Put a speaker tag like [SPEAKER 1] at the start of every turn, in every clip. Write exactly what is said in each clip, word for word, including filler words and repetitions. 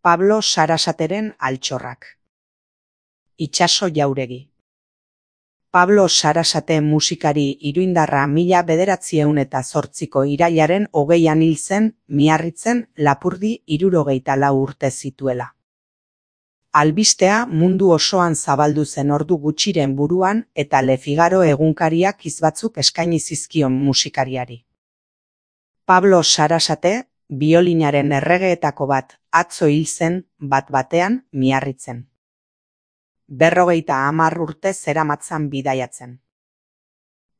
[SPEAKER 1] Pablo Sarasateren altxorrak. Itxaso Jauregi. Pablo Sarasate musikari iruindarra mila bederatziehun eta zortziko irailaren hogeian hil zen, Miarritzen, Lapurdi hirurogeita lau urte zituela. Albistea mundu osoan zabaldu zen ordu gutxiren buruan eta Le Figaro egunkariak hizbatzuk eskaini zizkion musikariari. Pablo Sarasate, biolinaren erregeetako bat, atzo hil zen, bat-batean, Miarritzen. Berrogeita hamar urte zeramatzan bidaiatzen.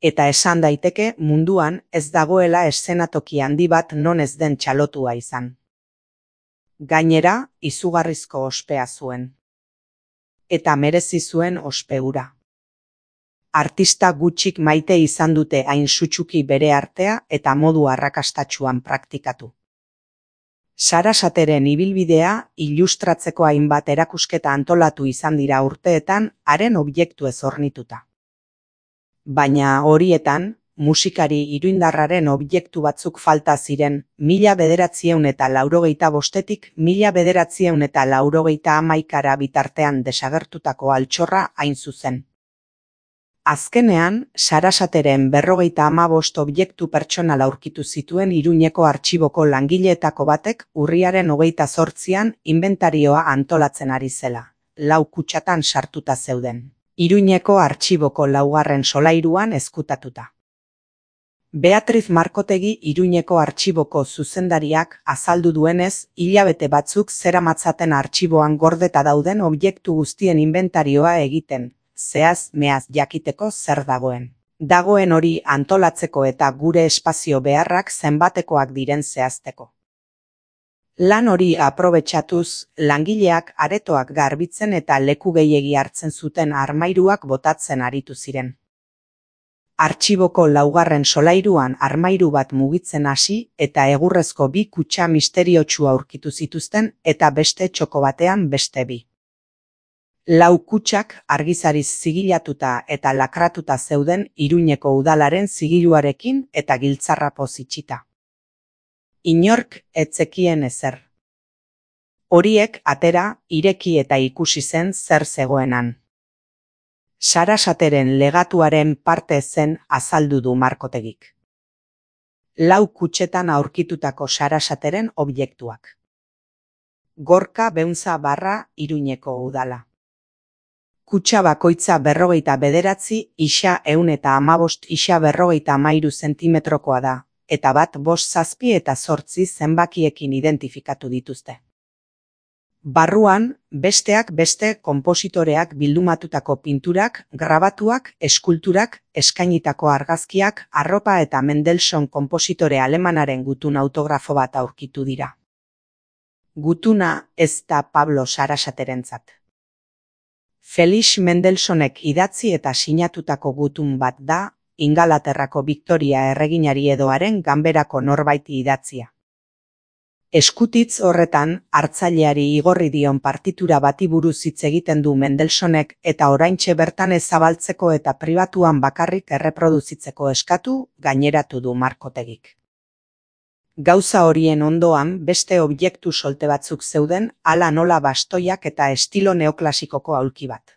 [SPEAKER 1] Eta esan daiteke munduan ez dagoela eszenatoki handi bat non ez den txalotua izan. Gainera, izugarrizko ospea zuen. Eta merezi zuen ospe hura. Artista gutxik maite izan dute hain sutsuki bere artea eta modu arrakastatsuan praktikatu. Sarasateren ibilbidea ilustratzeko hainbat erakusketa antolatu izan dira urteetan haren objektuez hornituta. Baina horietan, musikari iruindarraren objektu batzuk falta ziren mila bederatziehun eta laurogeita bostetik mila bederatziehun eta laurogeita hamaikara bitartean desagertutako altxorra hain zuzen. Azkenean, Sarasateren berrogeita hamabost objektu pertsonal aurkitu zituen Iruñeko artxiboko langileetako batek urriaren hogeita zortzian inbentarioa antolatzen ari zela, lau kutxatan sartuta zeuden. Iruñeko artxiboko laugarren solairuan ezkutatuta. Beatriz Markotegi Iruñeko artxiboko zuzendariak azaldu duenez, hilabete batzuk zeramatzaten artxiboan gordeta dauden objektu guztien inbentarioa egiten, zehaz meaz jakiteko zer dagoen. Dagoen hori antolatzeko eta gure espazio beharrak zenbatekoak diren zehazteko. Lan hori aprobetxatuz, langileak aretoak garbitzen eta leku gehiegi hartzen zuten armairuak botatzen aritu ziren. Artxiboko laugarren solairuan armairu bat mugitzen hasi eta egurrezko bi kutxa misteriotsua aurkitu zituzten eta beste txoko batean beste bi. Lau kutxak argizariz zigilatuta eta lakratuta zeuden Iruñeko udalaren zigiluarekin eta giltzarrapoz itxita. Inork ez zekien ezer. Horiek atera, ireki eta ikusi zen zer zegoenan. Sarasateren legatuaren parte zen azaldu du Markotegik. Lau kutxetan aurkitutako Sarasateren objektuak. Gorka Beunza barra Iruñeko udala. Kutxa bakoitza berrogeita bederatzi, isa ehun eta hamabost isa berrogeita hamairu zentimetrokoa da, eta bat bost zazpi eta zortzi zenbakiekin identifikatu dituzte. Barruan, besteak beste konpositoreak bildumatutako pinturak, grabatuak, eskulturak, eskainitako argazkiak, arropa eta Mendelssohn konpositore alemanaren gutun autografo bat aurkitu dira. Gutuna ez da Pablo Sarasaterentzat. Felix Mendelssohnek idatzi eta sinatutako gutun bat da, Ingalaterrako Victoria erreginari edoaren ganberako norbaiti idatzia. Eskutitz horretan, hartzaileari igorri dion partitura bati buruz hitz egiten du Mendelssohnek eta oraintxe bertan ezabaltzeko eta pribatuan bakarrik erreproduzitzeko eskatu, gaineratu du Markotegik. Gauza horien ondoan beste objektu solte batzuk zeuden, hala nola bastoiak eta estilo neoklasikoko aulki bat.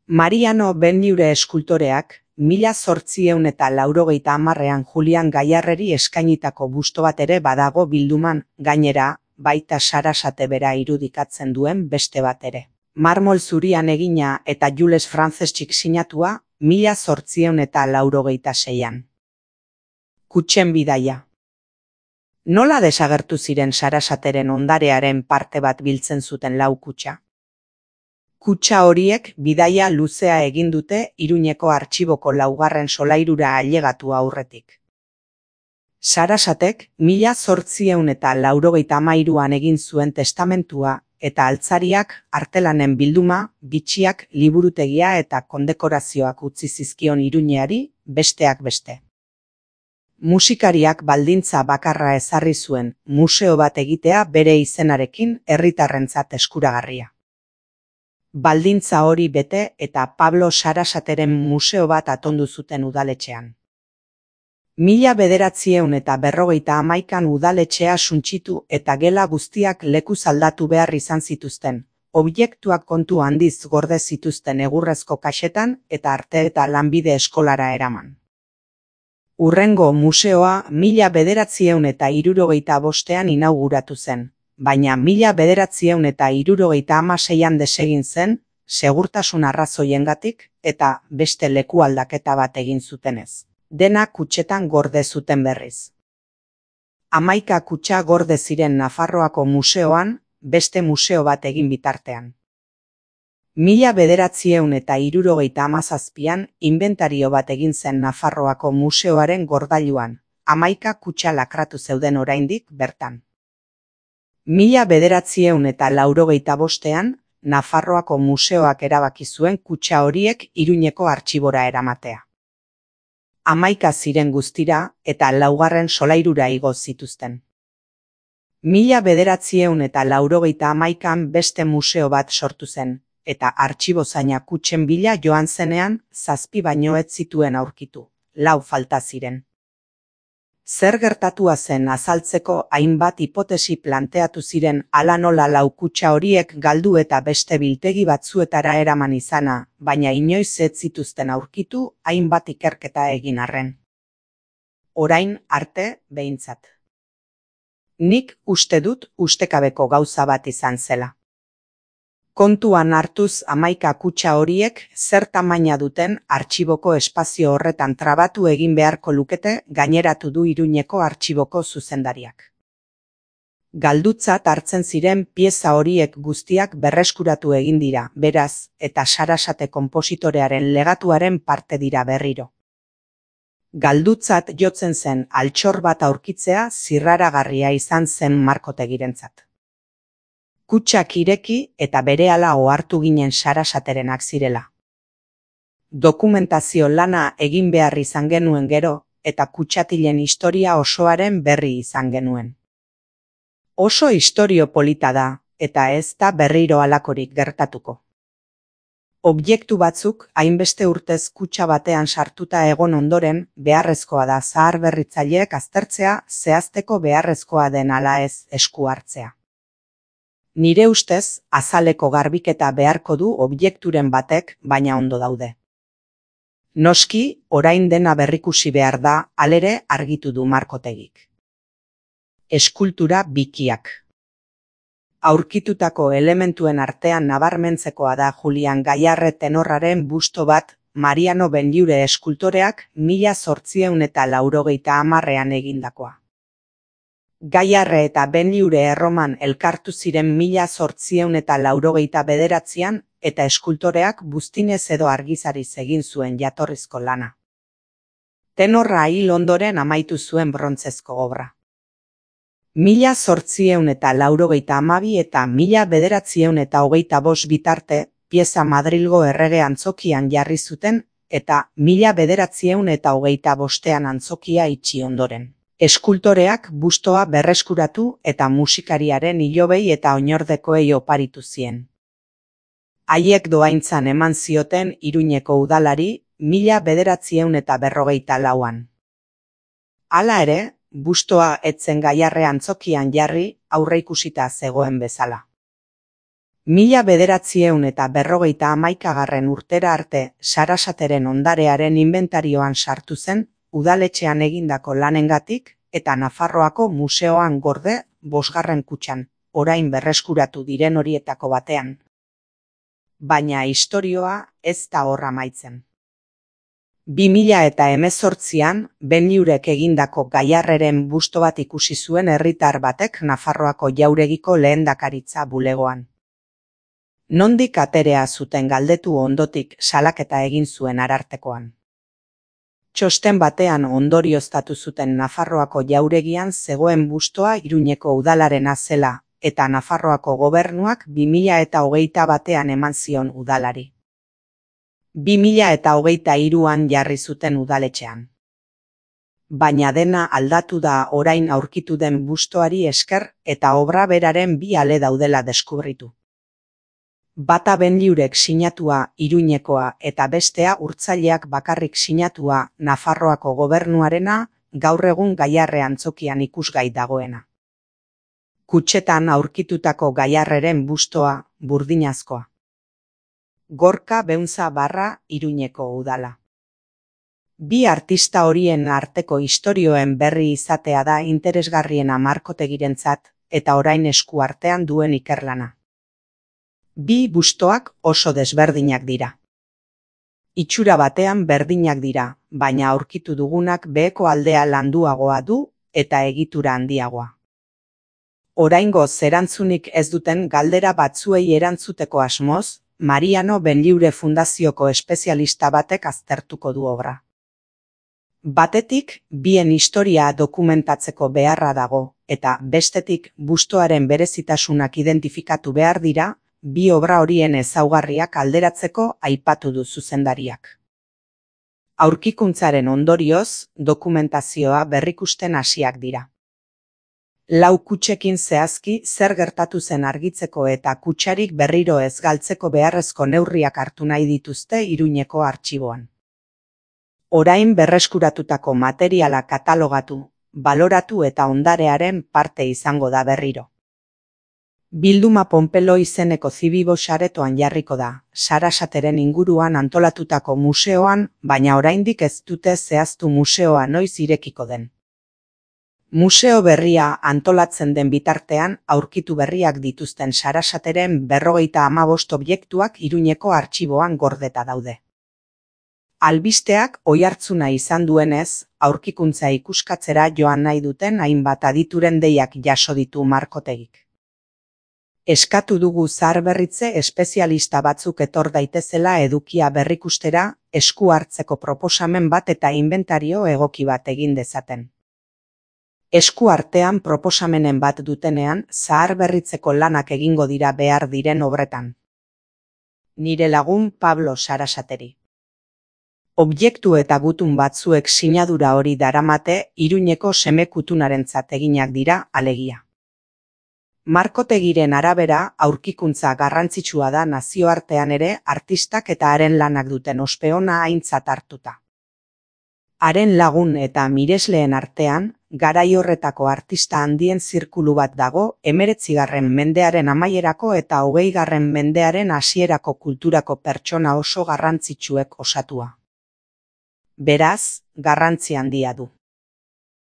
[SPEAKER 1] Mariano Benlliure eskultoreak, mila zortziehun eta laurogeita hamarrean Julian Gaiarreri eskainitako busto bat ere badago bilduman, gainera, baita Sarasate bera irudikatzen duen beste bat ere. Marmol zurian egina eta Jules Franceschik sinatua, mila zortziehun eta laurogeita seian. Kutxen bidaia. Nola desagertu ziren Sarasateren ondarearen parte bat biltzen zuten lau kutxa? Kutxa horiek bidaia luzea egin dute Iruñeko artxiboko laugarren solairura ailegatu aurretik. Sarasatek mila zortziehun eta laurogeita hamairuan egin zuen testamentua eta altzariak artelanen bilduma, bitxiak, liburutegia eta kondekorazioak utzi zizkion Iruñeari, besteak beste. Musikariak baldintza bakarra ezarri zuen, museo bat egitea bere izenarekin herritarrentzat eskuragarria. Baldintza hori bete eta Pablo Sarasateren museo bat atondu zuten udaletxean. Mila bederatziehun eta berrogeita hamaikan udaletxea suntsitu eta gela guztiak lekuz aldatu behar izan zituzten, objektuak kontu handiz gorde zituzten egurrezko kaxetan eta arte eta lanbide eskolara eraman. Hurrengo museoa mila bederatziehun eta hirurogeita bostean inauguratu zen, baina mila bederatziehun eta hirurogeita hamaseian desegin zen, segurtasun arrazoiengatik eta beste leku aldaketa bat egin zutenez. Dena kutxetan gorde zuten berriz. Hamaika kutxa gorde ziren Nafarroako museoan, beste museo bat egin bitartean. Mila bederatziehun eta hirurogeita hamazazpian inventario bat egin zen Nafarroako museoaren gordailuan, hamaika kutxa lakratu zeuden oraindik bertan. Mila bederatziehun eta laurogeita bostean, Nafarroako museoak erabaki zuen kutxa horiek Iruñeko artxibora eramatea. Hamaika ziren guztira eta laugarren solairura igo zituzten. Mila bederatziehun eta laurogeita hamaikan beste museo bat sortu zen, eta artxibozaina kutxen bila joan zenean zazpi baino ez zituen aurkitu, lau falta ziren. Zer gertatua zen azaltzeko hainbat hipotesi planteatu ziren hala nola lau kutxa horiek galdu eta beste biltegi batzuetara eraman izana, baina inoiz ez zituzten aurkitu hainbat ikerketa egin arren. Orain arte behintzat. Nik uste dut ustekabeko gauza bat izan zela. Kontuan hartuz hamaika kutxa horiek zer tamaina duten artxiboko espazio horretan trabatu egin beharko lukete gaineratu du Iruñeko artxiboko zuzendariak. Galdutzat hartzen ziren pieza horiek guztiak berreskuratu egin dira, beraz, eta Sarasate konpositorearen legatuaren parte dira berriro. Galdutzat jotzen zen altxor bat aurkitzea zirraragarria izan zen markotegirentzat. Kutxak ireki eta berehala ohartu ginen Sarasaterenak zirela. Dokumentazio lana egin behar izan genuen gero eta kutxatilen historia osoaren berri izan genuen. Oso istorio polita da eta ez da berriro halakorik gertatuko. Objektu batzuk hainbeste urtez kutxa batean sartuta egon ondoren beharrezkoa da zaharberritzaileek aztertzea zehazteko beharrezkoa den ala ez esku hartzea. Nire ustez, azaleko garbiketa beharko du objekturen batek, baina ondo daude. Noski, orain dena berrikusi behar da, halere argitu du markotegik. Eskultura bikiak. Aurkitutako elementuen artean nabarmentzekoa da Julian Gaiarre tenorraren busto bat Mariano Benlliure eskultoreak mila zortziehun eta laurogeita hamarrean egindakoa. Gaiarre eta Benlliure Erroman elkartu ziren mila zortziehun eta laurogeita bederatzian eta eskultoreak buztinez edo argizariz egin zuen jatorrizko lana. Tenorra hil ondoren amaitu zuen brontzezko obra. Mila zortziehun eta laurogeita hamabi eta mila bederatziehun eta hogeita bost bitarte pieza Madrilgo errege antzokian jarri zuten eta mila bederatziehun eta hogeita bostean antzokia itxi ondoren. Eskultoreak bustoa berreskuratu eta musikariaren hilobei eta oinordekoei oparitu zien. Haiek dohaintzan eman zioten Iruñeko udalari mila bederatziehun eta berrogeita lauan. Hala ere, bustoa etzen Gaiarre antzokian jarri aurreikusita zegoen bezala. Mila bederatziehun eta berrogeita hamaikagarren urtera arte Sarasateren ondarearen inventarioan sartu zen udaletxean egindako lanengatik eta Nafarroako museoan gorde bosgarren kutxan, orain berreskuratu diren horietako batean. Baina istorioa ez da hor amaitzen. Bi mila eta hemezortzian Benlliurek egindako Gaiarreren busto bat ikusi zuen herritar batek Nafarroako jauregiko lehendakaritza bulegoan. Nondik aterea zuten galdetu ondotik salaketa egin zuen Arartekoan. Txosten batean ondorioztatu zuten Nafarroako jauregian zegoen bustoa Iruñeko udalarena zela eta Nafarroako gobernuak bi mila eta hogeita batean eman zion udalari. bi mila eta hogeita hiruan jarri zuten udaletxean. Baina dena aldatu da orain aurkitu den bustoari esker eta obra beraren bi ale daudela deskubritu. Bata Benlliurek sinatua Iruñekoa eta bestea urtzaileak bakarrik sinatua Nafarroako gobernuarena gaur egun Gaiarre antzokian ikusgai dagoena. Kutxetan aurkitutako Gaiarreren bustoa burdinazkoa. Gorka Beunza barra Iruñeko udala. Bi artista horien arteko istorioen berri izatea da interesgarriena Markotegirentzat eta orain esku artean duen ikerlana. Bi bustoak oso desberdinak dira. Itxura batean berdinak dira, baina aurkitu dugunak beheko aldea landuagoa du eta egitura handiagoa. Oraingoz erantzunik ez duten galdera batzuei erantzuteko asmoz, Mariano Benliure Fundazioko espezialista batek aztertuko du obra. Batetik, bien historia dokumentatzeko beharra dago, eta bestetik bustoaren berezitasunak identifikatu behar dira, bi obra horien ezaugarriak alderatzeko aipatu du zuzendariak. Aurkikuntzaren ondorioz, dokumentazioa berrikusten hasiak dira. Lau kutxekin zehazki zer gertatu zen argitzeko eta kutxarik berriro ez galtzeko beharrezko neurriak hartu nahi dituzte Iruñeko artxiboan. Orain berreskuratutako materiala katalogatu, baloratu eta ondarearen parte izango da berriro. Bilduma Ponpelo izeneko zibibo saretoan jarriko da, Sarasateren inguruan antolatutako museoan, baina oraindik ez dute zehaztu museoa noiz irekiko den. Museo berria antolatzen den bitartean aurkitu berriak dituzten Sarasateren berrogeita hamabost objektuak Iruñeko artxiboan gordeta daude. Albisteak oihartzuna izan duenez, aurkikuntza ikuskatzera joan nahi duten hainbat adituren deiak jaso ditu Markotegik. Eskatu dugu zaharberritze espezialista batzuk etor daitezela edukia berrikustera, esku hartzeko proposamen bat eta inventario egoki bat egin dezaten. Esku artean proposamenen bat dutenean, zaharberritzeko lanak egingo dira behar diren obretan. Nire lagun Pablo Sarasateri. Objektu eta gutun batzuek sinadura hori daramate Iruñeko semekutunarentzat eginak dira alegia. Markotegiren arabera aurkikuntza garrantzitsua da nazioartean ere artistak eta haren lanak duten ospe ona aintzat hartuta. Haren lagun eta miresleen artean, garai horretako artista handien zirkulu bat dago hemeretzigarren mendearen amaierako eta hogeigarren mendearen hasierako kulturako pertsona oso garrantzitsuek osatua. Beraz, garrantzi handia du.